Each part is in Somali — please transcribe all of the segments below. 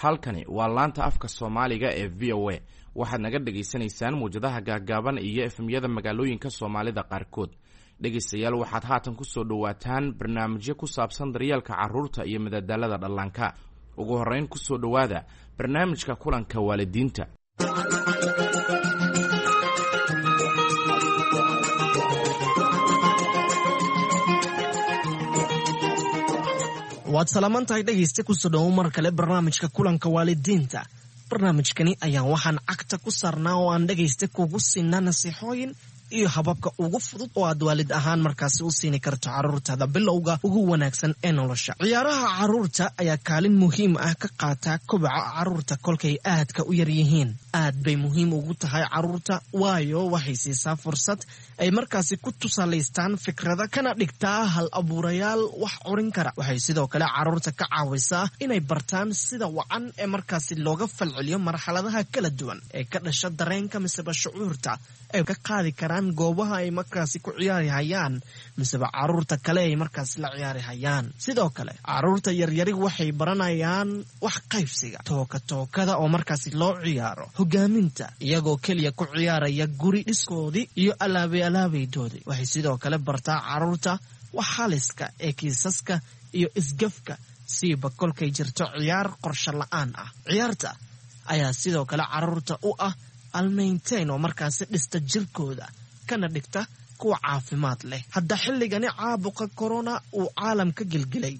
Halkani waa laanta afka Soomaaliga ee VOA. Waxaad naga dhagaysanaysaan muwjadaha gaaggaaban iyo FM-yada magaalooyinka Soomaalida qaarkood. Dhegaystayaal, waxaad haatan kusoo dhowaataan barnaamijyo ku saabsan daryeelka carruurta iyo madadaalada dhallaanka. Ugu horrayn, kusoo dhowaada barnaamijka kulanka waalidiinta. Waad salaaman tahay, dhegaysta. Kusoo dhowow mar kale barnaamijka kulanka waalidiinta. Barnaamijkani ayaan waxaan cagta ku saarnaa oo aan dhegaysta kugu siinaa nasiixooyin iyo hababka ugu fudud oo aad waalid ahaan markaasi u siini karto carruurtaada bilowga ugu wanaagsan ee nolosha. Ciyaaraha carruurta ayaa kaalin muhiim ah ka qaata kobaca carruurta kolkay aadka u yar yihiin. Aad bay muhiim ugu tahay carruurta, waayo waxay siisaa fursad ay markaasi ku tusaalaystaan fikrada, kana dhigtaa hal abuurayaal wax curin kara. Waxay sidoo kale carruurta ka caawisaa inay bartaan sida wacan ee markaasi looga falceliyo marxaladaha kala duwan ee ka dhasha dareenka miseba shucuurta ay ka qaadi karaan goobaha ay markaasi ku ciyaari hayaan miseba caruurta kale ay markaasi la ciyaari hayaan. Sidoo kale, caruurta yaryari waxay baranayaan wax qaybsiga, tooka tookada oo markaasi loo ciyaaro, hogaaminta, iyagoo keliya ku ciyaaraya guri dhiskoodii iyo alaabay alaabaydoodii. Waxay sidoo kale bartaa caruurta wax xaliska ee kiisaska iyo isgafka, siiba kolkay jirto ciyaar qorsho la-aan ah. Ciyaarta ayaa sidoo kale caruurta u ah almaynteyn oo markaasi dhista jirkooda kana dhigta kuwa caafimaad leh. Hadda xilligani caabuqa corona uu caalamka gelgelay,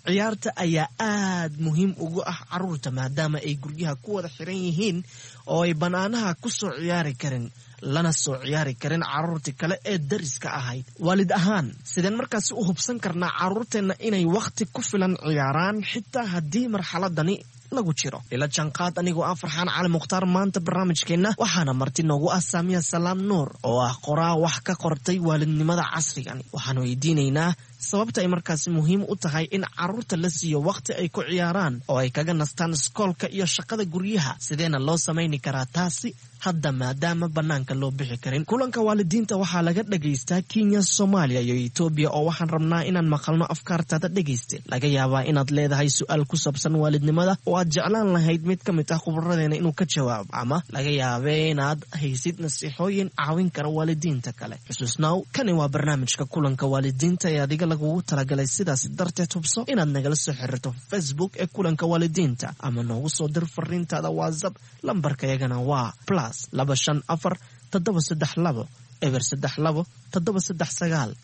ciyaarta ayaa aad muhiim ugu ah caruurta, maadaama ay guryaha ku wada xiran yihiin oo ay bannaanaha ku soo ciyaari karin, lana soo ciyaari karin carruurtii kale ee dariska ahayd. Waalid ahaan, sideen markaasi u hubsan karnaa carruurteenna inay wakhti ku filan ciyaaraan xitaa haddii marxaladani lagu jiro? Ila janqaad anigoo ah Farxaan Cali Mukhtaar. Maanta barnaamijkeenna waxaana marti noogu ah Saamiya Salaam Nuur, oo ah qoraa wax ka qortay waalidnimada casrigani. Waxaan weydiinaynaa sababta ay markaasi muhiim u tahay in carruurta la siiyo wakhti ay ku ciyaaraan oo ay kaga nastaan iskoolka iyo shaqada guryaha, sideena loo samayni karaa taasi hadda maadaama bannaanka loo bixi karin. Kulanka waalidiinta waxaa laga dhagaystaa Kenya, Soomaaliya iyo Etoobiya, oo waxaan rabnaa inaan maqalno afkaartaada. Dhegayste, laga yaabaa inaad leedahay su-aal ku saabsan waalidnimada oo aad jeclaan lahayd mid ka mid ah khubaradeena inuu ka jawaabo, ama laga yaabee inaad haysid nasiixooyin caawin kara waalidiinta kale. Xusuusnaaw, kani waa barnaamijka kulanka waalidiinta ee adiga lagugu talagalay. Sidaas darteed, hubso inaad nagala soo xiriirto Facebook ee kulanka waalidiinta ama noogu soo dir fariintaada WhatsApp. Lambarkayagana waa +254 732 032 739.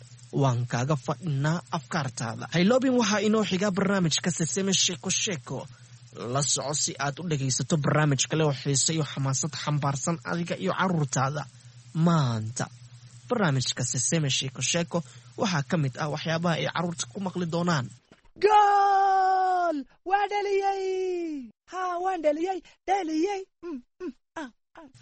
Waan kaaga fadhinaa afkaartaada. Hayloobin, waxaa inoo xigaa barnaamijka Seseme Sheeko Sheeko. La soco si aad u dhagaysato barnaamij kale oo xiise iyo xamaasad xambaarsan adiga iyo caruurtaada. Maanta barnaamijka Seseme Sheeko Sheeko waxaa ka mid ah waxyaabaha ay carruurta ku maqli doonaan: Gool! Waa dhaliyey! Ha, waan dhaliyey, dhaliyey!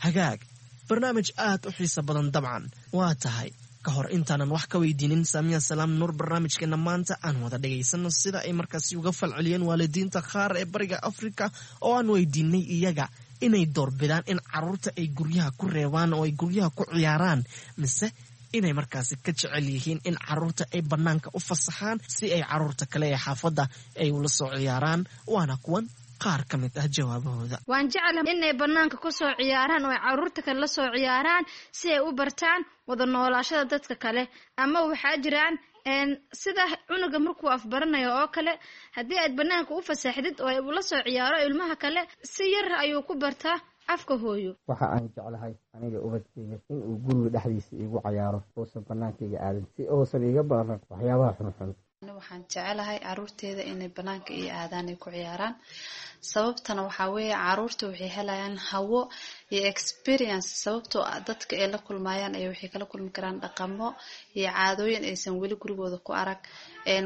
Hagaag, barnaamij aad u xiiso badan dabcan waa tahay. Ka hor intaanan wax ka weydiinin Saamiya Salaam Nuur barnaamijkeena maanta, aan wada dhagaysano sida ay markaasi uga falceliyeen waalidiinta qaar ee bariga Afrika oo aan weydiinay iyaga inay doorbidaan in carruurta ay guryaha ku reebaan oo ay guryaha ku ciyaaraan, mise inay markaasi ka jecel yihiin in carruurta ay bannaanka u fasaxaan si ay carruurta kale ee xaafadda ay ula soo ciyaaraan. Waana kuwan qaar ka mid ah jawaabahooda. Waan jeclahay inay bannaanka ku soo ciyaaraan oo ay carruurta kale la soo ciyaaraan, si ay u bartaan wada noolaashada dadka kale. Ama waxaa jiraan sida cunuga markuu afbaranayo oo kale, haddii aad bannaanka u fasaxdid oo ay ula soo ciyaaro ilmaha kale, si yar ayuu ku bartaa afka hooyo. Waxa aan jeclahay aniga ubadkeyga in uu guriga dhexdiisa iigu cayaaro, uusan bannaankayga aadin, si uusan iiga baran waxyaabaha xunxun. Waxaan jecelahay caruurteeda inay banaanka iyo aadaan ay ku ciyaaraan. Sababtana waxaa weeye, caruurta waxay helayaan hawo iyo experience, sababtoo ah dadka ay la kulmayaan ay waxay kala kulmi karaan dhaqamo iyo caadooyin aysan weli gurigooda ku arag.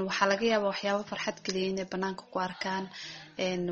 Waxaa laga yaabaa waxyaabo farxad geliya inay banaanka ku arkaan,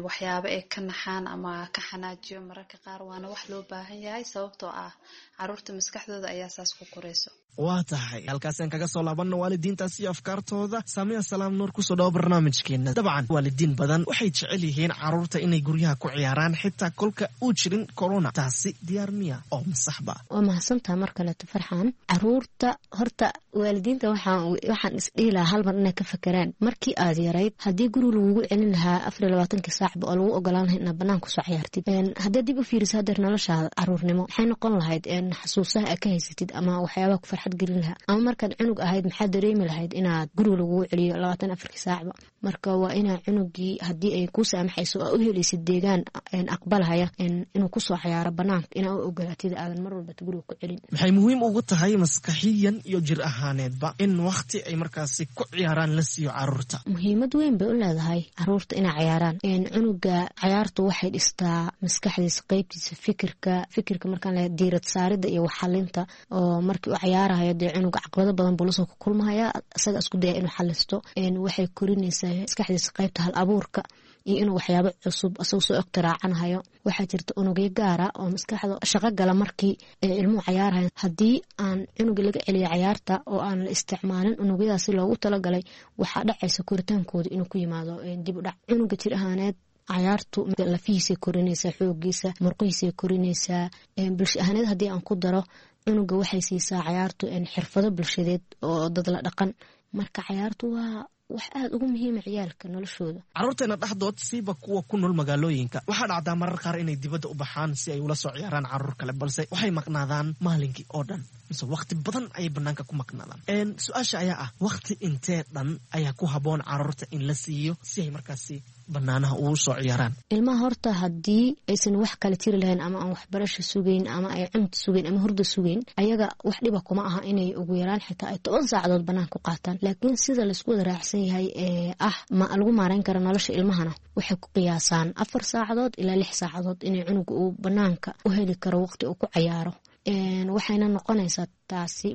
waxyaabo ay ka naxaan ama ka xanaajiyo mararka qaar. Waana wax loo baahan yahay, sababtoo ah caruurta maskaxdooda ayaa saas ku korayso. Waa tahay, halkaasaan kaga soo laabanno waalidiintaas iyo afkaartooda. Saamiya Salaam Nuur, kusoo dhawo barnaamijkeena. Dabcan waalidiin badan waxay jecel yihiin caruurta inay guryaha ku ciyaaraan xitaa kolka uu jirin corona. Taasi diyaar miya oo masaxba? Waa mahadsantaha mar kaleeto, Farxaan. Caruurta horta waalidiinta waxaan isdhihi lahaa hal mar inay ka fakeraan markii aad yarayd, haddii guri lagugu celin lahaa 24-kii saacba oo lagu ogolaan lahay inaad banaan kusoo ciyaartid. Haddaad dib u fiiriso hadeer noloshaada caruurnimo, maxay noqon lahayd xasuusaha aad ka haysatid ama waxyaabaha ku farxad gelin lahaa? Ama markaad cunug ahayd, maxaad dareemi lahayd inaad guriga lagugu celiyo 24-kii saacba? Marka waa inaa cunugii, haddii ay kuu saamaxayso oo u helaysid deegaan aqbalhaya inuu kusoo cayaaro banaanka, inaa u ogolaatid, aadan mar walbata guriga ku celin. Maxay muhiim ugu tahay maskaxiyan iyo jir ahaaneedba in wakhti ay markaasi ku ciyaaraan la siiyo caruurta? Muhiimad weyn bay u leedahay caruurta inay cayaaraan. Cunuga cayaartu waxay dhistaa maskaxdiisa, qeybtiisa fikirka markaan leeyahay diirad saarida iyo waxxalinta, oo markii uu cayaarahayo dee cunuga caqabado badan buu lasoo kulmahaya, isaga isku daya inuu xalisto. Waxay korinaysaa maskaxdiisa qeybta hal abuurka iyo inuu waxyaabo cusub isagoo soo iqtiraacanahayo. Waxaa jirta unugyo gaara oo maskaxda shaqo gala markii ay ilmuhu cayaarahayan. Haddii aan cunuga laga celiyo cayaarta oo aan la isticmaalin unugyadaasi loogu talagalay, waxaa dhacaysa koritaankooda inuu ku yimaado dib u dhac. Cunuga jir ahaaneed cayaartu lafihiisay korinaysaa, xoogiisa, murqihiisay korinaysaa. Bulsho ahaaneed haddii aan ku daro, cunuga waxay siisaa cayaartu xirfado bulshadeed oo dad la dhaqan. Marka cayaartu waa wax aada ugu muhiima ciyaalka noloshooda. Carruurteena dhexdood, siiba kuwa ku nool magaalooyinka, waxaa dhacdaa marar qaar inay dibadda u baxaan si ay ula soo ciyaaraan carruur kale, balse waxay maqnaadaan maalinkii oo dhan mise wakhti badan ayay banaanka ku maqnaadaan. Su-aasha ayaa ah, wakhti intee dhan ayaa ku habboon carruurta in la siiyo si ay markaasi banaanaha ugu soo ciyaaraan? Ilmaha horta haddii aysan wax kala tiri lahayn ama aan waxbarasha sugeyn ama ay cunta sugeyn ama hurda sugeyn, ayaga wax dhiba kuma aha inay ugu yaraan xitaa ay 10 saacadood banaanka ku qaataan. Laakiin sida laisku wada raacsan yahay ee ah ma lagu maareyn karo nolosha ilmahana, waxay ku qiyaasaan 4 saacadood ilaa 6 saacadood inay cunuga uu banaanka u heli karo waqti uu ku cayaaro. Waxayna noqonaysaa taasi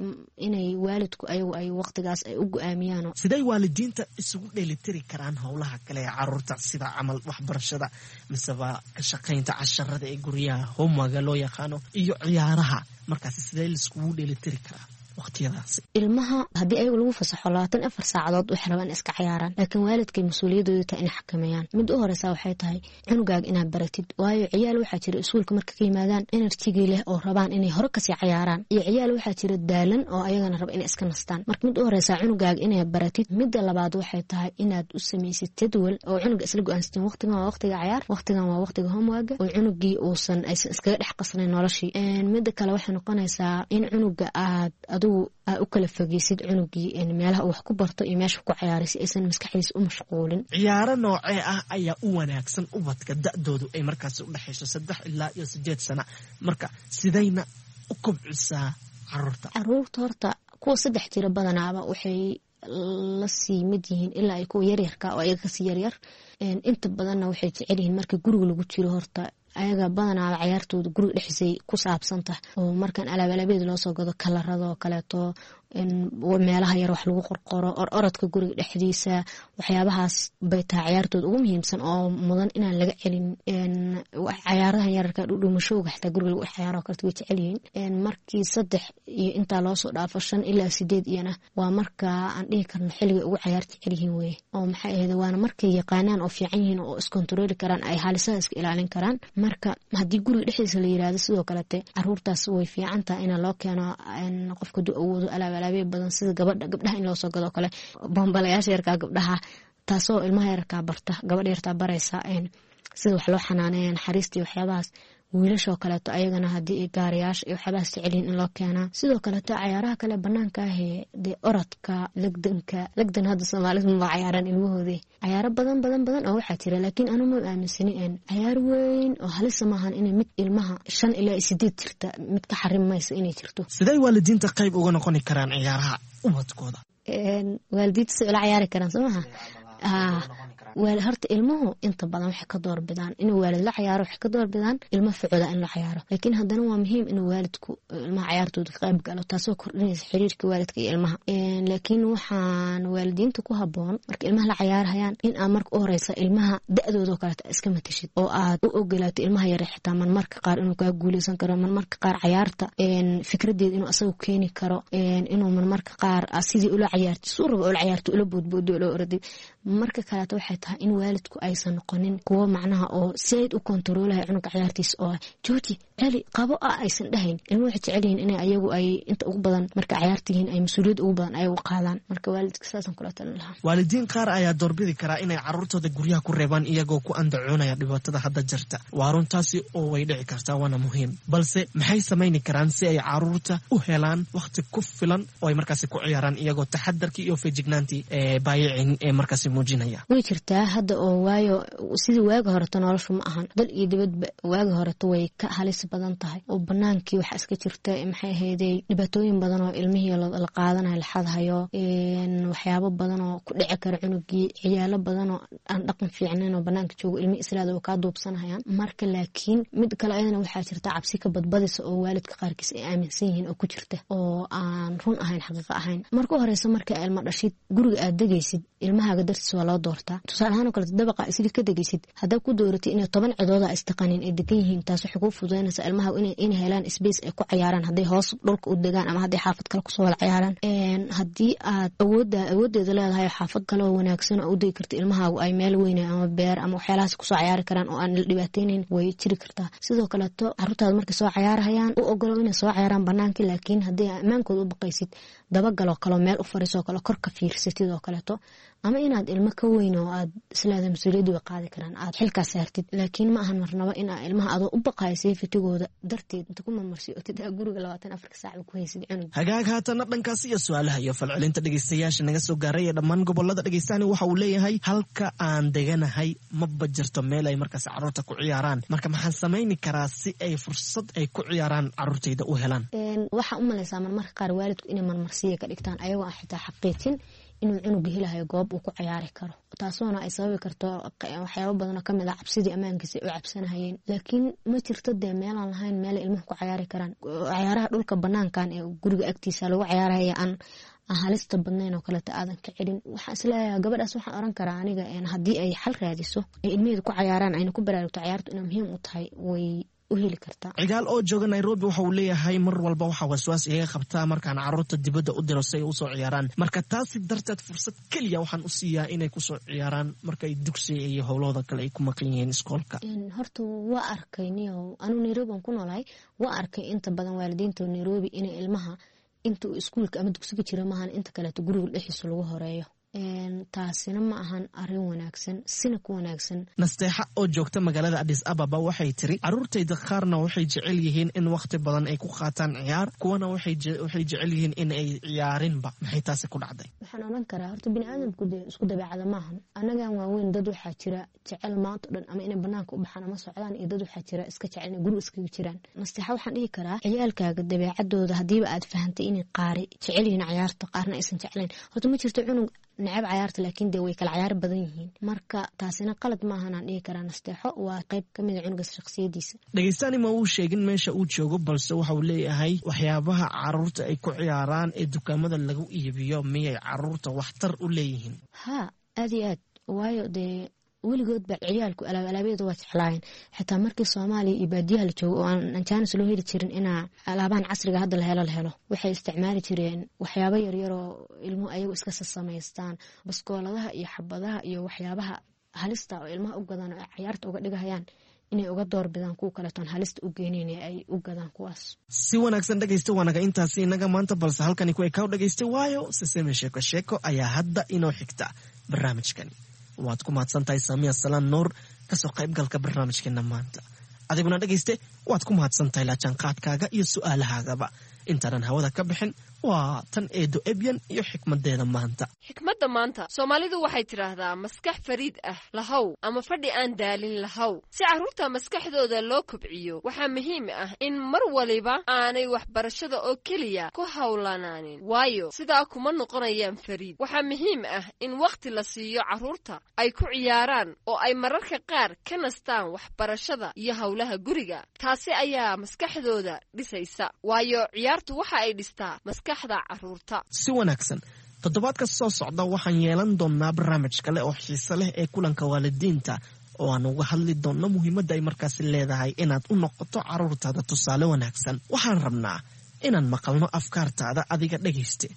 inay waalidku ayagu ay waqtigaas ay u go-aamiyaan. Siday waalidiinta isugu dheelitiri karaan howlaha kale ee caruurta, sida camal waxbarashada miseba ka shaqaynta casharada ee guryaha, homework-ga loo yaqaano, iyo ciyaaraha? Markaasi sidee laiskugu dheelitiri karaa waqtiyadaasi? Ilmaha haddii ayagu lagu fasaxo 24 saacadood, waxay rabaan in iska cayaaraan, laakiin waalidkay mas-uuliyadooda tahay inay xakameeyaan. Mid u horeysa waxay tahay cunugaaga inaad baratid, waayo ciyaal waxaa jira iskuulka marka ka yimaadaan energy-gii leh oo rabaan inay hore kasii cayaaraan, iyo ciyaal waxaa jira daalan oo ayagana raba inay iska nastaan. Marka mid u horeysa cunugaaga inaad baratid. Midda labaad waxay tahay inaad u samaysid jadwal oo cunuga isla go-aansatin: waqtigan waa waqtiga cayaar, waqtigan waa waqtiga homework-ga, oo cunugii uusan aysan iskaga dhex qasnayn noloshii. Midda kale waxay noqonaysaa in cunuga aad adigu aa u kala fogeysid cunugii meelaha uu wax ku barto iyo meesha ku cayaaray, si aysan maskaxdiisa u mashquulin. Ciyaaro noocee ah ayaa u wanaagsan ubadka da-doodu ay markaasi u dhexayso 3 ilaa iyo 8 sana? Marka sidayna u kobcisaa caruurta? Caruurta horta kuwa 3 jira badanaaba waxay la sii mid yihiin ilaa ay kuwa yaryarka oo ayaga kasii yaryar. Inta badanna waxay jecel yihiin marka guriga lagu jiro. Horta ayaga badanaaba cayaartooda guriga dhexdiisay ku saabsan tahay, oo markan alaab alaabeed loosoo gado, kalarado kaleeto, meelaha yar wax lagu qorqoro, or orodka guriga dhexdiisa, waxyaabahaas bay tahay cayaartooda ugu muhiimsan oo mudan inaan laga celin. Cayaarahan yararka, dhudhuumashowga, xitaa guriga lagu cayaaro kaleto way jecel yihiin. Markii 3 iyo intaa loosoo dhaafo, 5 ilaa 8 iyana waa marka aan dhihi karno xilliga ugu cayaar jecel yihiin weye, oo maxay ahayd, waana markay yaqaanaan oo fiican yihiin oo iskontarooli karaan, ay haalisaha iska ilaalin karaan. Marka haddii guriga dhexdiisa la yiraahdo, sidoo kalete caruurtaas way fiican tahay ina loo keeno, qofka haduu awoodo, alaab alaabyo badan, sida gabadha gabdhaha in loosoo gado kale bombalayaasha yarkaa gabdhaha, taasoo ilmaha yararkaa barta, gabadha yartaa baraysa sida wax loo xanaaneeya, naxariista iyo waxyaabahaas. Wiilashoo kaleeto ayagana haddii gaariyaasha iyo waxyaabahaas jecelyihin in loo keenaa. Sidoo kaleeto cayaaraha kale banaanka ahee dee orodka, legdanka, legdan hadda Soomaalidu maba cayaaraan ilmahoodii. Cayaaro badan badan badan oo waxaa jira, laakiin anu ma aaminsani cayaar weyn oo halisa maahan inay mid ilmaha 5 ilaa 8 jirta mid ka xarim maysa inay jirto. Siday waalidiinta qayb uga noqoni karaan ciyaaraha ubadkooda? Waalidiinta say ula cayaari karaan, soo maha? Horta ilmuhu inta badan waxay ka doorbidaan inuu waalid la cayaaro, waxay ka doorbidaan ilmo ficooda in la cayaaro. Laakiin haddana waa muhiim inuu waalidku ilmaha cayaartooda ka qayb galo, taasoo kordhinaysa xiriirka waalidka iyo ilmaha. Laakiin waxaan waalidiinta ku haboon marka ilmaha la cayaarhayaan in aad marka u horeysa ilmaha da-dooda oo kaleeta iska matashid, oo aad u ogolaato ilmaha yare xitaa marmarka qaar inuu kaa guuleysan karo, marmarka qaar cayaarta fikradeeda inuu asagu keeni karo, inuu marmarka qaar sidii ula cayaarti suu rabo ula cayaarto, ula boodboodo, ula orday. Marka kaleeto waxay tahay in waalidku aysan noqonin kuwo macnaha oo said u kontaroolaya cunuga cayaartiisa, oo jooji, celi, qabo ah aysan dhahayn. Ilmuhu waxay jecel yihiin inay ayagu ay inta ugu badan marka cayaarta yihiin ay mas-uuliyad ugu badan ayagu qaadaan. Marka waalidka saasaan kula talin lahaa. Waalidiin qaar ayaa doorbidi karaa inay caruurtooda guryaha ku reebaan, iyagoo ku andacoonaya dhibaatada hadda jirta. Waa runtaasi oo way dhici kartaa, waana muhiim, balse maxay samayni karaan si ay caruurta u helaan wakhti ku filan oo ay markaasi ku ciyaaraan, iyagoo taxadarkii iyo feejignaantii ee baayicin ee markaasi muujinaya? Way jirtaa hadda oo waayo sidii waagi horeto noloshu ma ahan, dal iyo dibadba waagi horeto way ka halis badan tahay, oo banaankii waxaa iska jirta maxay ahaydey dhibaatooyin badan oo ilmihii la qaadanayo, la xadhayo, waxyaabo badan oo ku dhici kara cunugii, ciyaalo badan oo aan dhaqan fiicnayn oo banaanka joogo ilmihii islaada oo kaa duubsanayaan. Marka laakiin mid kale ayadana waxaa jirta cabsi ka badbadisa oo waalidka qaarkiis ay aaminsan yihiin oo ku jirta, oo aan run ahayn, xaqiiqo ahayn. Marka u horeysa marka ilmo dhashid guriga aad degaysid ilmahaaga dartiis waa loo doortaa. Tusaale ahaan oo kaleeto dabaqa isli ka degaysid haddaa ku dooratay inay 10 cidooda istaqanin ay degan yihiin, taas waxay kuu fududaynaysaa ilmaha inay helaan space ay ku cayaaraan, hadday hoos dhulka u degaan ama hadday xaafad kale kusoo wada cayaaraan. Haddii aad awooddeeda leedahay xaafad kale oo wanaagsan oo u degi karta ilmahaagu ay meel weyne ama beer ama waxyaalahaas kusoo cayaari karaan oo aan la dhibaateynayn, way jiri kartaa. Sidoo kaleeto caruurtaada markay soo cayaarahayaan u ogolo inay soo cayaaraan banaankii, laakiin haddii ammaankooda u baqaysid dabagaloo kaleo meel u fariisoo kale kor ka fiirsatid oo kaleeto, ama inaad ilmo ka weyn oo aad isleedahay mas-uuliyaddu way qaadi karaan aad xilkaas saartid. Laakiin ma ahan marnabo inaa ilmaha adoo u baqayo safetigooda darteed inta ku mamarsiotid aa guriga 24-ka saacba ku haysid cunug. Hagaag, haatanna dhankaasi iyo su-aalaha iyo falcelinta dhegeystayaasha naga soo gaaray ee dhammaan gobolada. Dhegeystahani waxa uu leeyahay: halka aan deganahay maba jirto meel ay markaas carruurta ku ciyaaraan, marka maxaan samayni karaa si ay fursad ay ku ciyaaraan carruurtayda u helaan? Waxaa u malaysaa marmarka qaar waalidku inay marmarsiya ka dhigtaan ayagoo aan xitaa xaqiijin inuu cunuga helahayo goob uu ku cayaari karo, taasoona ay sababi karto waxyaabo badan oo kamid ah cabsidii ammaankiisa ay u cabsanahayeen. Laakiin ma jirto dee meelaan lahayn meelay ilmuhu ku cayaari karaan. Cayaaraha dhulka banaankan ee guriga agtiisa lagu cayaaraya aan halista badnayn oo kaleeto aadan ka celin. Waxaan isleeyahay gabadhaas waxaan oran karaa aniga haddii ay xal raadiso ay ilmaheedu ku cayaaraan ayna ku baraarugto cayaartu inay muhiim u tahay, way Cigaal oo jooga Nairobi waxa uu leeyahay: mar walba waxaa waswaas igaga qabtaa markaan caruurta dibadda u diro si ay usoo ciyaaraan, marka taasi darteed fursad keliya waxaan u siiyaa inay kusoo ciyaaraan markaay dugsiga iyo howlahooda kale ay ku maqan yihiin iskoolka. Horta waa arkay niyow, anuu Nairobi aan ku noolahay, waa arkay inta badan waalidiinta Nairobi inay ilmaha inta uu iskuulka ama dugsiga jira maahan inta kaleeto guriga dhexdiisa lagu horeeyo. Taasina ma ahan arin wanaagsan, sina ku wanaagsan. Nasteexa oo joogta magaalada Adis Ababa waxay tiri: caruurtayda qaarna waxay jecel yihiin in wakhti badan ay ku qaataan ciyaar, kuwana waxay jecel yihiin in ay ciyaarinba. Maxay taasi ku dhacday? Waxaan odhan karaa horta bini aadamku dee isku dabeecada maahan. Annagan waaweyn dad waxaa jira jecel maanta o dhan ama inay banaanka u baxaan ama socdaan, iyo dad waxaa jira iska jecel inay guriga iskaga jiraan. Nasteexa waxaan dhihi karaa ciyaalkaaga dabeecadooda haddiiba aad fahantay inay qaari jecel yihiin cayaarta, qaarna aysan jeclayn. Horta ma jirto cunug necab cayaarta, laakiin dee way kala cayaar badan yihiin. Marka taasina qalad maahan aan dhihi karaa nasteexo, waa qayb ka mid a cunugaas shakhsiyadiisa. Dhegeystaani ma uu sheegin meesha uu joogo, balse waxa uu leeyahay: waxyaabaha caruurta ay ku ciyaaraan ee dukaamada lagu iibiyo miyay caruurta waxtar u leeyihiin? Haa, aad iyo aad, waayo dee weligoodba ciyaalku alaabyada waa jeclaayeen. Xitaa markii Soomaaliya iyo baadiyaha la joogo oo aan jaanis loo heli jirin inaa alaabahan casriga hadda la helo, waxay isticmaali jireen waxyaabo yaryaroo ilmuhu ayagu iska sasamaystaan, baskooladaha iyo xabadaha iyo waxyaabaha halista oo ilmaha u gadaan oo ay cayaarta uga dhigahayaan inay uga doorbidaan kuwa kaletoon halista u geenayn ay u gadaan kuwaas. Si wanaagsan dhegaysta, waanaga intaasi inaga maanta, balse halkani ku ekaw dhegaysta, waayo siseme sheeko sheeko ayaa hadda inoo xigta barnaamijkani. Waad ku mahadsan tahay Saamiya Salaan Nuur kasoo qaybgalka barnaamijkeena maanta. Adiguna dhegayste waad ku mahadsan tahay laajaanqaadkaaga iyo su-aalahaagaba. Intaanan hawada ka bixin Waa tan Eedo Ebyan iyo xikmaddeeda maanta. Xikmadda maanta, Soomaalidu waxay tidhaahdaa maskax fariid ah lahow ama fadhi aan daalin lahow. Si carruurta maskaxdooda loo kobciyo, waxaa muhiim ah in mar waliba aanay waxbarashada oo keliya ku howlanaanin, waayo sidaa kuma noqonayaan fariid. Waxaa muhiim ah in wakhti la siiyo carruurta ay ku ciyaaraan oo ay mararka qaar ka nastaan waxbarashada iyo howlaha guriga. Taasi ayaa maskaxdooda dhisaysa, waayo ciyaartu waxa ay dhistaa maskaxda carruurta. Si wanaagsan. Toddobaadka soo socda waxaan yeelan doonnaa barnaamij kale oo xiise leh ee kulanka waalidiinta, oo aan uga hadli doonno muhiimadda ay markaasi leedahay inaad u noqoto carruurtaada tusaale wanaagsan. Waxaan rabnaa inaan maqalno afkaartaada adiga dhegayste.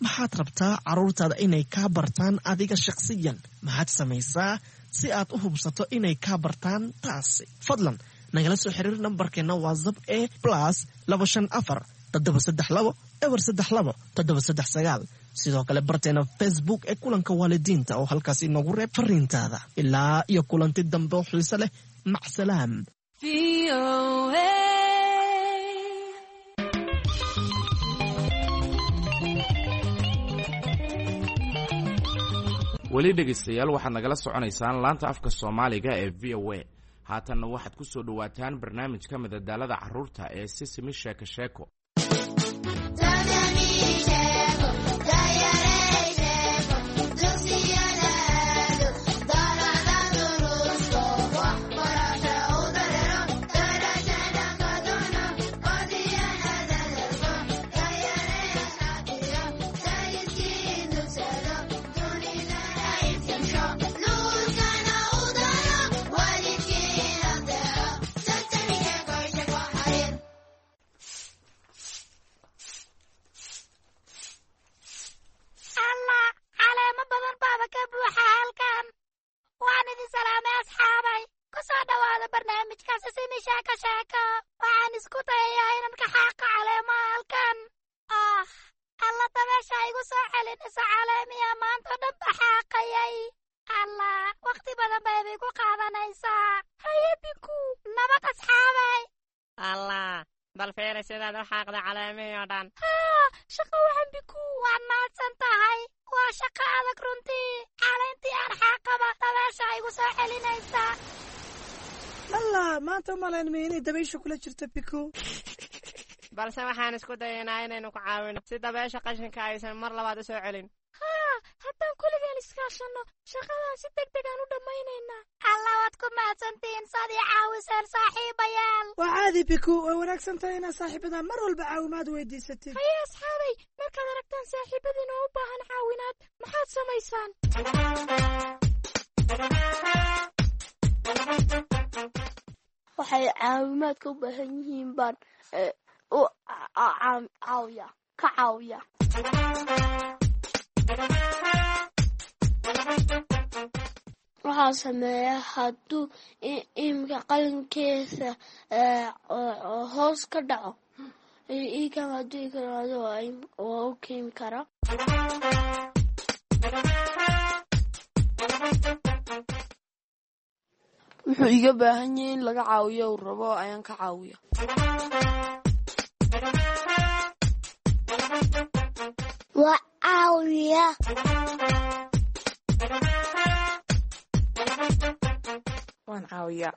Maxaad rabtaa carruurtaada inay kaa bartaan adiga shakhsiyan? Maxaad samaysaa si aad u hubsato inay kaa bartaan taasi? Fadlan nagala soo xiriir nambarkeenna WhatsApp ee +254 732 032 739. Sidoo kale barteena Facebook ee kulanka waalidiinta oo halkaas inoogu reeb fariintaada. Ilaa iyo kulanti dambe oo xiise leh, macsalaam. Weli dhegaystayaal, waxaad nagala soconaysaan laanta afka Soomaaliga ee VOA. Haatanna waxaad ku soo dhowaataan barnaamijka madadaalada carruurta ee Sisimi Sheeko Sheeko. Allah, caleemo badan baaba ka buuxa halkan. Waan idin salaamay, asxaabay. Ku soo dhowaada barnaamijka Sisimi Sheeko Sheeko. Waxaan isku dayayaa inaan ka xaaqa caleemaha halkan. Ah, alla, dabeesha igu soo celinaysa caleemiya maanta dhan ba xaaqayay. Allah, wakhti badan bayba igu qaadanaysaa. Haye Biku, nabad asxaabay. Allah, bal fiiri sidaad u xaaqda caleemihii oo dhan. Haa, shaqo wacan Biku, waad mahadsan tahay. Waa shaqo adag runtii. Caleentii aan xaaqaba dabeesha igu soo celinaysa. Allah, maanta umalaynmay inay dabaysha kula jirto, Biku. Balse waxaan isku dayaynaa inaynu ku caawino si dabeesha qashinka aysan mar labaad u soo celin. Haa, haddaan kulligeen iskaashanno, shaqadan si deg degaan u dhammaynaynaa. Allah, waad ku mahadsantihiin saad ii caawiseen, saaxiibayaal. Waa caadi, Biku. Way wanaagsan tahay inaad saaxiibada mar walba caawimaad weydiisatid. Haye asxaabay, markaad aragtaan saaxiibadiin oo u baahan caawinaad, maxaad samaysaan? Waxay caawimaadka u baahan yihiin baan u caawiya, ka caawiya. Waxaa sameeya hadduu imika qalinkiisa hoos ka dhaco, ikan hadduu ikaraado waa u keeni karaa. Wuxuu iga baahan yahay in laga caawiyo uu rabo ayaan ka caawiya. Waa caawiya. Waan caawiyaa.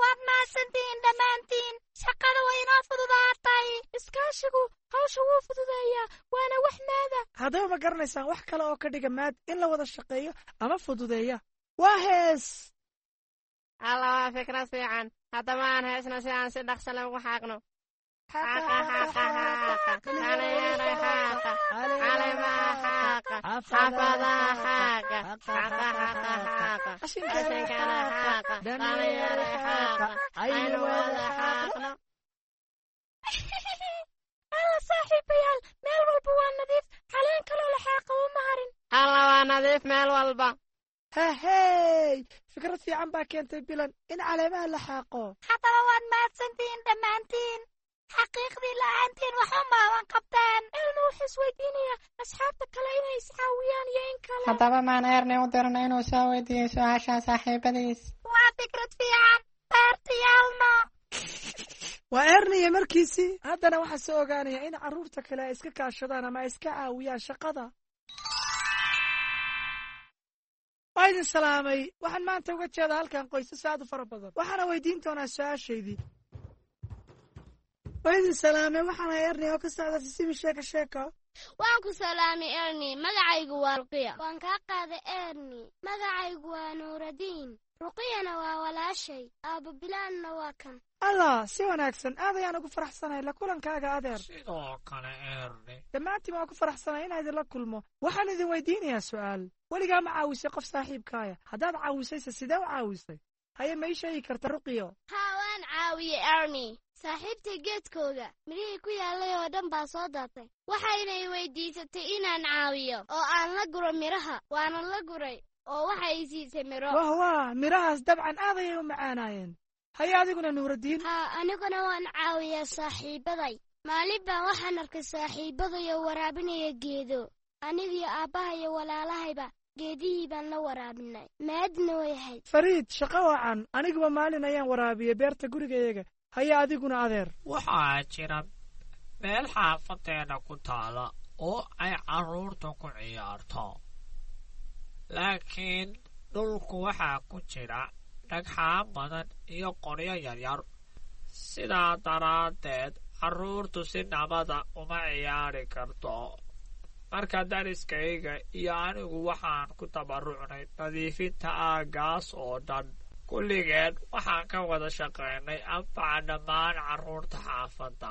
Waad mahadsantihiin dhammaantiin. Shaqada way inoo fududaatay. Iskaashigu hawsha wuu fududeeyaa, waana wax maada. Haddaba ma garanaysaan wax kale oo ka dhiga maad in la wada shaqeeyo ama fududeeya? Waa hees. Alla, waa fikrad fiican. Haddaba aan heesna si aan si dhaqso leh ugu xaaqno. Xaaqa, xaaqa, xaaqa, dhalinyaro xaaqa, caleemaha xaaqa, xaafadaha xaaqa, xaaqa, xaaqa, xaaqa, qashinkana xaaqa, dhalinyaro xaaqa, aynu wada xaaqno. Alla saaxiibayaal, meel walba waa nadiif. Caleen kaloo la xaaqa uma harin. Alla, waa nadiif meel walba. Hahey, fikrad fiican baa keentay Bilan in caleemaha la xaaqo. Haddaba waad mahadsantihiin dhammaantiin. Xaqiiqdii la'aantiin waxba maaban qabteen. Elmo wuxuu isweydiinayaa asxaabta kale inay iscaawiyaan iyo in kale. Haddaba maan Erni u dirno inuu soo weydiiyo su-aasha saaxiibadiis? Waa fikrad fiican, beertiyaalno. Waa Erniya markiisii. Haddana waxaa soo ogaanaya in carruurta kale ay iska kaashadaan ama ay iska caawiyaan shaqada. Waa idin salaamay. Waxaan maanta uga jeedaa halkan qoysas aad u fara badan, waxaana weydiin doonaa su-aashaydii. Waa idin salaamay. Waxaan ahay Erni oo ka socda Sisimi Sheeko Sheeko. Waan ku salaamay, Erni. Magacaygu waa Ruqiya. Waan kaa qaaday, Erni. Magacaygu waa Nuuradiin. Ruqiyana waa walaashay. Aabbo Bilaanna waa kan. Allah, si wanaagsan. Aad ayaan ugu faraxsanahay la kulankaaga, adeer. Sidoo kale, Erni. Dhammaantiin waan ku faraxsanahay inaan idinla kulmo. Waxaan idin weydiinayaa su'aal. Weligaa ma caawisay qof saaxiibkaaya? Haddaad caawisayse, sidee u caawisay? Haye, ma ii sheegi karta, Ruqiyo? Haa, waan caawiyey, Erni. Saaxiibtay geedkooga midhihii ku yaallay oo dhan baa soo daatay. Waxaynay weydiisatay inaan caawiyo oo aan la guro midhaha. Waana la guray oo waxay siisay midho. Wah wah, midhahaas dabcan aad ayay u macaanaayeen. Haye, adiguna, Nuuradiin? Haa, aniguna waan caawiyaa saaxiibaday. Maalin baan waxaan arkay saaxiibaday oo waraabinaya geedo. Anigiyo aabbaha iyo walaalahayba geedihii baan la waraabinay. Maadna way ahayd. Fariid, shaqo wacan. Aniguba maalin ayaan waraabiyey beerta gurigayaga. Haye, adiguna, adeer? Waxaa jira meel xaafadeenna ku taala oo ay carruurta ku ciyaarto, laakiin dhulku waxaa ku jira dhagxaan badan iyo qoryo yaryar. Sidaa daraaddeed carruurtu si nabada uma ciyaari karto. Marka dariskayga iyo anigu waxaan ku tabarucnay nadiifinta aaggaas oo dhan. Kulligeen waxaan ka wada shaqaynay anfaca dhammaan carruurta xaafadda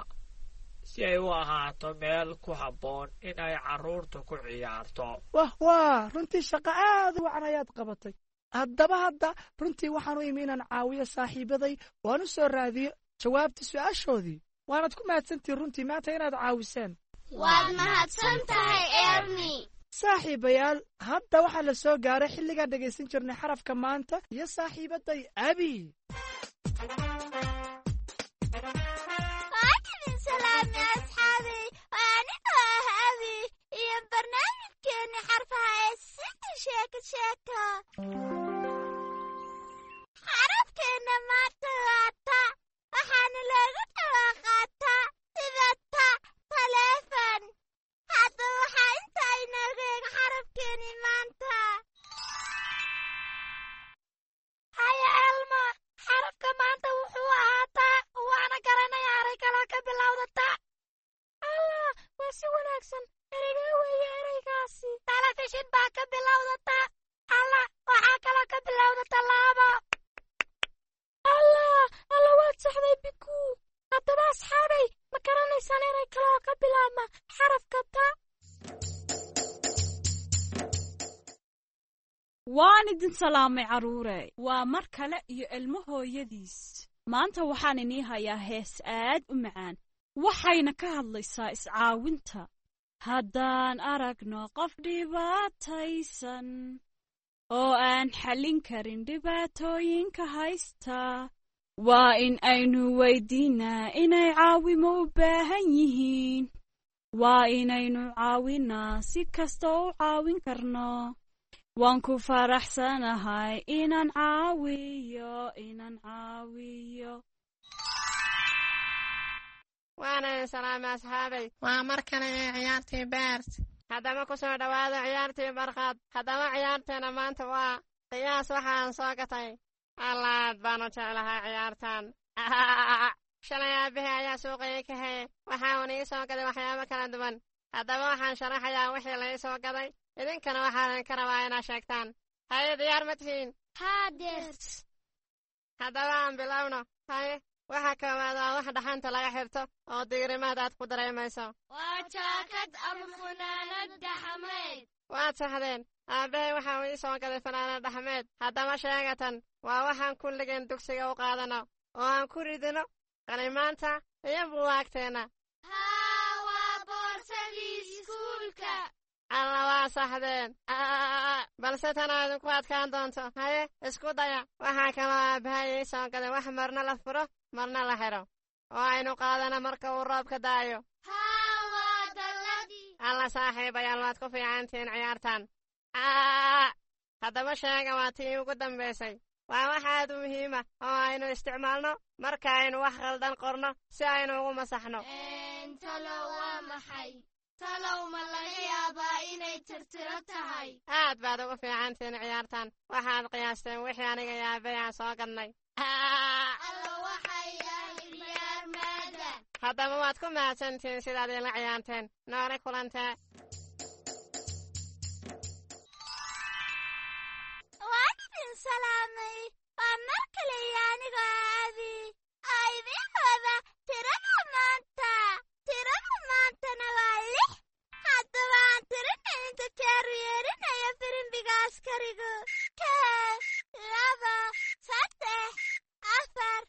si ay u ahaato meel ku habboon in ay carruurtu ku ciyaarto. Wah wah, runtii shaqo aad u wacan ayaad qabatay. Haddaba hadda runtii waxaan u imi inaan caawiyo saaxiibaday oo aan u soo raadiyo jawaabta su'aashoodii. Waanad ku mahadsantihin runtii maanta inaad caawiseen. Waad mahadsan tahay, Erni. Saaxiibayaal, hadda waxaa la soo gaaray xilligaan dhegaysan jirnay xarafka maanta iyo saaxiibaday Abi. Waan idin salaamay, asxaabay. Waa anigoo ah Abi iyo barnaamijkeenni xarfaha ee Siti Sheeko Sheeko. Xarafkeenna maanta waa ta, waxaana loogu dhawaaqaa ta sida ta taleefon. Hadda waxaa inta inooga eeg xarafkeenni maanta. Haya, Elmo, xarafka maanta wuxuu ahaa ta, waana garanaya eray kaloo ka bilowda ta. Allah, waa si wanaagsan. Ereygee weeye ereygaasi? Telefishin baa ka bilowda ta. Allah, waxaa kaloo ka bilowda tallaabo. Allah Allah, waad saxday, Bikuu. Haddaba asxaabay, ma garanaysaan erey kale oo ka bilaabma xarafka ta? Waan idin salaamay, carruure. Waa mar kale iyo Ilmo hooyadiis. Maanta waxaan inii hayaa hees aad u macaan, waxayna ka hadlaysaa iscaawinta. Haddaan aragno qof dhibaataysan oo aan xallin karin dhibaatooyinka haysta, waa in aynu weydiinaa inay caawimo u baahan yihiin. Waa inaynu caawinaa si kasta u caawin karno. Waan ku faraxsanahay inaan caawiyo, inaan caawiyo. Waana idin salaamay, asxaabay. Waa mar kale ee ciyaartii Beert. Haddaba ku soo dhowaada ciyaartii Barqaad. Haddaba ciyaarteena maanta waa qiyaas waxaan soo gatay. Allaad baanu jeclahay ciyaartan. Shalay aabbahay ayaa suuqayay ka heye. Waxa uuna ii soo gaday waxyaabo kala duwan. Haddaba waxaan sharaxayaa wixii la ii soo gaday, idinkana waxaa idinka rabaa inaad sheegtaan. Haye, diyaar ma tihiin? Haa, Deert. Haddaba aan bilowno. Haye, waxa koowaad waa wax dhaxanta laga xirto oo diirimaad aad ku dareemayso. Waa jaakad ama funaanad dhaxameed. Waad saxdeen. Aabbahay waxa uu ii soo gaday fanaanad dhaxmeed. Haddaba sheegatan waa waxaan kulligeen dugsiga u qaadano oo aan ku ridino qalimaanta iyo buwaagteenna. Haa, waa boorsadii iskuulka. Alla, waa saxdeen, balse tanaa idinku adkaan doonto. Haye, isku daya. Waxaa kaloo aabbahay ii soo gaday wax marna la furo marna la xidho. oo aynu qaadana marka uu roobka daayo? Haa, waa dalladii. Alla saaxiibayaal, waad ku fiicantihiin ciyaartan. Haddaba sheega, waa tii ugu dambaysay. Waa wax aad u muhiima oo aynu isticmaalno marka aynu wax khaldan qorno si aynu ugu masaxno. Talow waa maxay? Talow ma laga yaabaa inay tirtiro tahay? Aad baad ugu fiicantihiin ciyaartan. Waxaad qiyaasteen wixii aniga yaabay aan soo gadnay. Alla, waxay ahayd ciyaar maada. Haddaba waad ku mahadsantihiin sidaad ila ciyaarteen. Noole kulantee. Waan idin salaamay. Waa mar kale iyo anigoo Aabi oo idiin wada tirada maanta. Tirada maantana waa 6. Haddaba aan tirina inta jeer u yeerinayo firimbiga askarigu. 1, 2, 3, 4,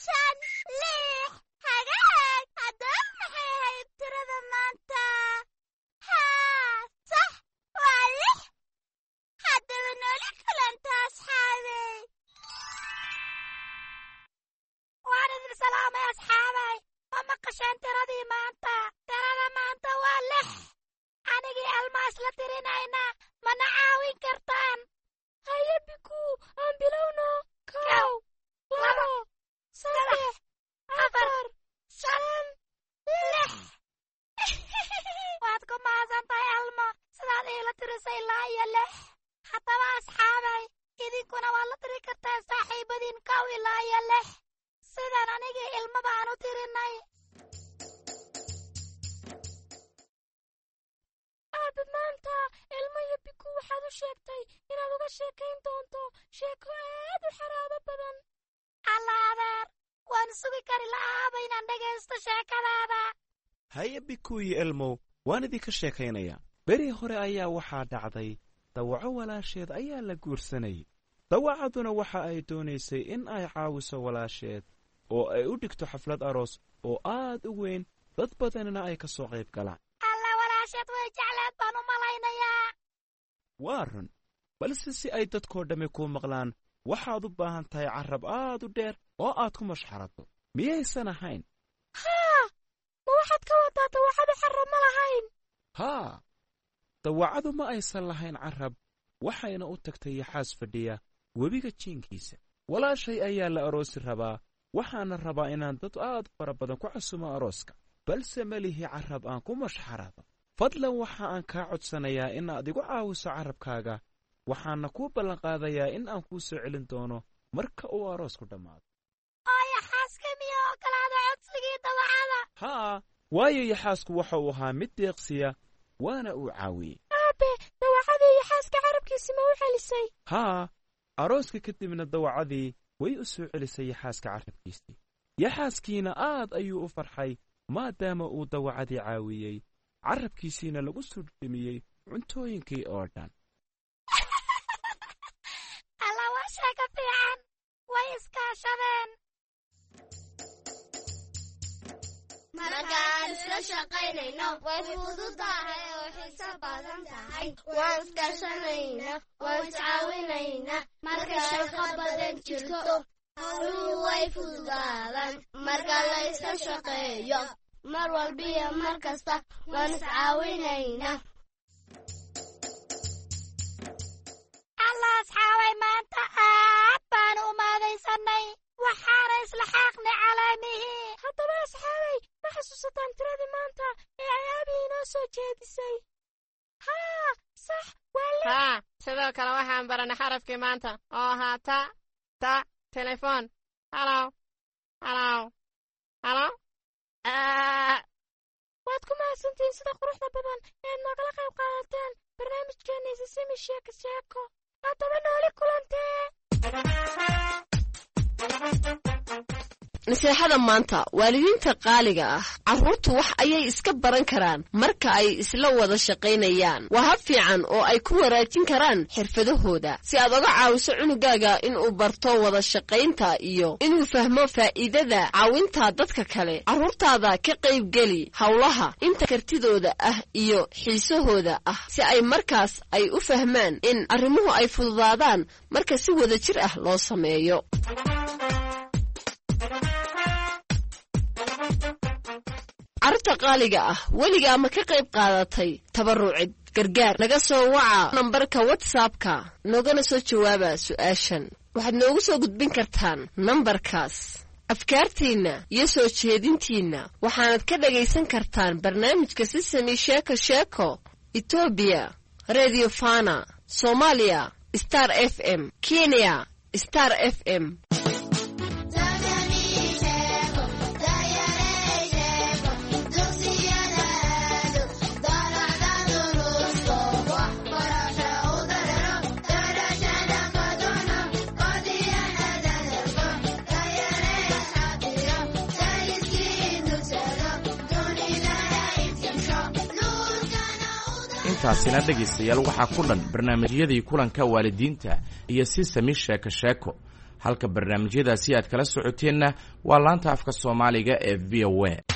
5, 6. Hagaag. Haddaba maxay ahayd tirada maanta? Haa, sax, waa 6. Haddaba nooli kulanta, asxaabey. Waan idin salaamay, asxaabay. Ma maqasheen tiradii maanta? Tirada maanta waa 6. Anigii Almaas la tirinayna, mana caawin kartaan? Haye Bikuu, aan bilowno. 1, 2, 3, 4, 5, 6. Waad ku mahadsan tahay, Alma, sidaad iila tirisay ilaa iyo 6. Haddaba asxaabay, idinkuna waad la tiri kartaan saaxiibadiin 1 ilaa iyo 6, sidaan anigii ilmaba aan u tirinay. Aabe, maanta Ilmo iyo Bikuu waxaad u sheegtay inaad uga sheekayn doonto sheeko aad u xaraabo badan. Alla adeer, waan sugi kari la'aaba inaan dhegaysto sheekadaada. Haye Bikuu iyo Elmow, waan idinka sheekaynayaa. Beri hore ayaa waxaa dhacday dawaco walaasheed ayaa la guursanayay. Dawacaduna waxa ay doonaysay in ay caawiso walaasheed oo ay u dhigto xaflad aroos oo aad u weyn, dad badanina ay ka soo qayb galaan. Alla, walaasheed way jecleed baan u malaynayaa. Waa run, balse si ay dadkoo dhammi kuu maqlaan waxaad u baahan tahay carrab aad u dheer oo aad ku mashxarato, miyaysan ahayn? Haa, ma waxaad ka wadaa dawacadu carrab ma lahayn? Haa, dawacadu ma aysan lahayn carrab, waxayna u tagtay yaxaas fadhiya webiga jiinkiisa. Walaashay ayaa la aroosi rabaa, waxaana rabaa inaan dad aad u fara badan ku casumo arooska, balse ma lihi carrab aan ku mashxarado. Fadlan waxa aan kaa codsanayaa inaad igu caawiso carrabkaaga, waxaana kuu ballanqaadayaa in aan kuu soo celin doono marka uu aroosku dhammaado. Oo yaxaaska miyaa ogolaada codsigii dawacada? Haa, waayo yaxaasku waxa uu ahaa mid deeqsiya, waana uu caawiyey. Aabe, dawacadii yaxaaska carabkiisi ma u celisay? Haa, arooska kadibna dawacadii way u soo celisay yaxaaska carrabkiisii. Yaxaaskiina aad ayuu u farxay maadaama uu dawacadii caawiyey, carrabkiisiina lagu soo dhimiyey cuntooyinkii oo dhan. Alla, waa sheeko fiican. Way iskaashadeen. Markaan isla shaqaynayno way fududahay oo xiiso badan tahay. Waan iskaashanayna, waan iscaawinaynaa. Marka shaqo badan jirto, howluhu way fududaadaan. Marka la isla shaqeeyo, mar walbiyo mar kasta waan iscaawinaynaa. Alla asxaabay, maanta aad baanu u maadaysanay, waxaana isla xaaqnay calaamihii. Haddaba asxaabay, ma xasuusataan tiradii maanta ee ay aabi inoo soo jeedisay? Haa, sax, waa 6. Haa, sidoo kale waxaan baranay xarafkii maanta oo ahaa ta, ta telefoon. Halow, halow, halow. Waad ku mahadsantihiin sida quruxda badan eed noogala qayb qaadateen barnaamijkeenna Isasimi Sheeko Sheeko. Haddaba nooli kulantee. Naseexada maanta, waalidiinta qaaliga ah, carruurtu wax ayay iska baran karaan marka ay isla wada shaqaynayaan. Waa hab fiican oo ay ku wanaajin karaan xirfadahooda. Si aad oga caawiso cunugaaga inuu barto wada shaqaynta iyo inuu fahmo faa'iidada caawinta dadka kale, carruurtaada ka qaybgeli howlaha inta kartidooda ah iyo xiisahooda ah, si ay markaas ay u fahmaan in arrimuhu ay fududaadaan marka si wada jir ah loo sameeyo. Qaaliga ah, weligaa ma ka qayb qaadatay tabarucid gargaar? Naga soo waca nambarka WhatsAppka, noogana soo jawaaba su'aashan. Waxaad noogu soo gudbin kartaan nambarkaas afkaartiinna iyo soo jeedintiinna. Waxaanad ka dhagaysan kartaan barnaamijka Sisami Sheeko Sheeko Etoobiya Redio Fana, Soomaaliya Star FM, Kenya Star FM. Intaasina dhegaystayaal waxaa ku dhan barnaamijyadii kulanka waalidiinta iyo Sisami Sheeko Sheeko. Halka barnaamijyadaasi aad kala socoteenna waa laanta afka Soomaaliga ee VOA.